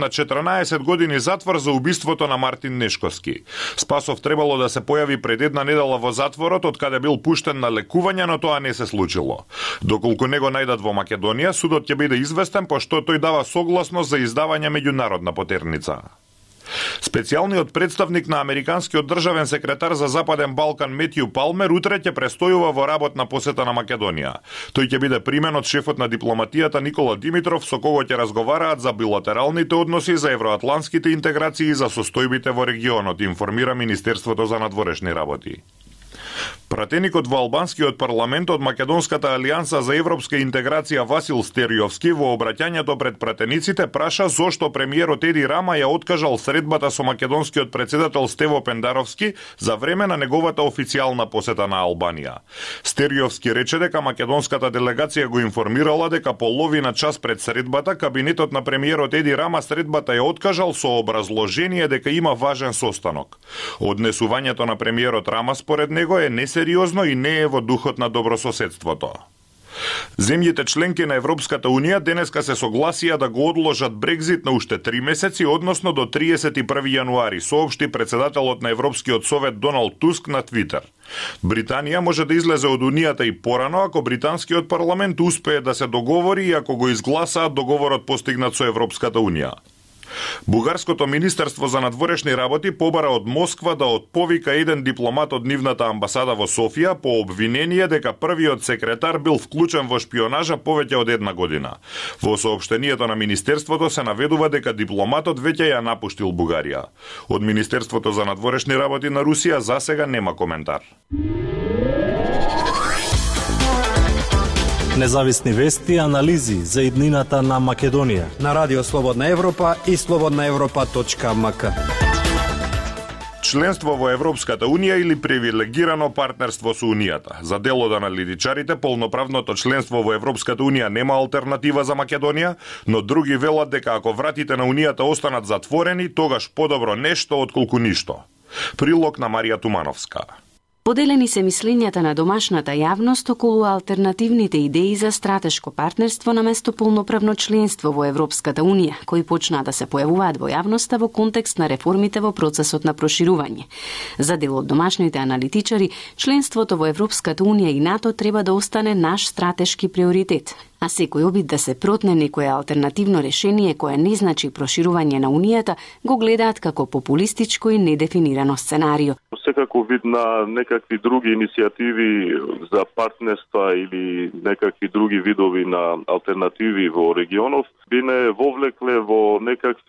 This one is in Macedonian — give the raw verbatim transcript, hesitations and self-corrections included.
на четрнаесет години затвор за убиството на Мартин Нешковски. Спасов требало да се појави пред една недела во затворот, од каде бил пуштен на лекување, но тоа не се случило. Доколку не го најдат во Македонија, судот ќе биде известен, пошто тој дава согласност за издавање меѓународна потерница. Специјалниот представник на американскиот државен секретар за Западен Балкан Метју Палмер утре ќе престојува во работна посета на Македонија. Тој ќе биде примен од шефот на дипломатијата Никола Димитров, со кого ќе разговараат за билатералните односи, за евроатлантските интеграции и за состојбите во регионот, информира Министерството за надворешни работи. Пратеникот во албанскиот парламент од Македонската алијанса за европска интеграција Васил Стериовски во обраќањето пред пратениците праша зошто премиерот Еди Рама ја откажал средбата со македонскиот председател Стево Пендаровски за време на неговата официјална посета на Албанија. Стериовски рече дека македонската делегација го информирала дека половина час пред средбата кабинетот на премиерот Еди Рама средбата ја откажал со образложение дека има важен состанок. Однесувањето на премиерот Рама според него е несериозно и не е во духот на добрососедството. Земјите членки на Европската Унија денеска се согласија да го одложат Брекзит на уште три месеци, односно до триесет и први јануари, соопшти председателот на Европскиот совет Доналд Туск на Твитер. Британија може да излезе од Унијата и порано ако британскиот парламент успее да се договори и ако го изгласаат договорот постигнат со Европската Унија. Бугарското министерство за надворешни работи побара од Москва да отповика еден дипломат од нивната амбасада во Софија по обвинение дека првиот секретар бил вклучен во шпионажа повеќе од една година. Во соопштението на министерството се наведува дека дипломатот веќе ја напуштил Бугарија. Од Министерството за надворешни работи на Русија засега нема коментар. Независни вести и анализи за иднината на Македонија на Радио Слободна Европа и слободна европа точка ем ка. Членство во Европската Унија или привилегирано партнерство со Унијата. За дел од аналитичарите, полноправното членство во Европската Унија нема алтернатива за Македонија, но други велат дека ако вратите на Унијата останат затворени, тогаш подобро нешто отколку ништо. Прилог на Марија Тумановска. Поделени се мислењата на домашната јавност околу алтернативните идеи за стратешко партнерство наместо полноправно членство во Европската Унија, кои почнаа да се појавуваат во јавноста во контекст на реформите во процесот на проширување. За дел од домашните аналитичари, членството во Европската Унија и НАТО треба да остане наш стратешки приоритет. А секој обид да се протне некое алтернативно решение кое не значи проширување на Унијата, го гледаат како популистичко и недефинирано сценарио. Секако вид на некакви други иницијативи за партнерства или некакви други видови на алтернативи во регионов би не вовлекле во некакви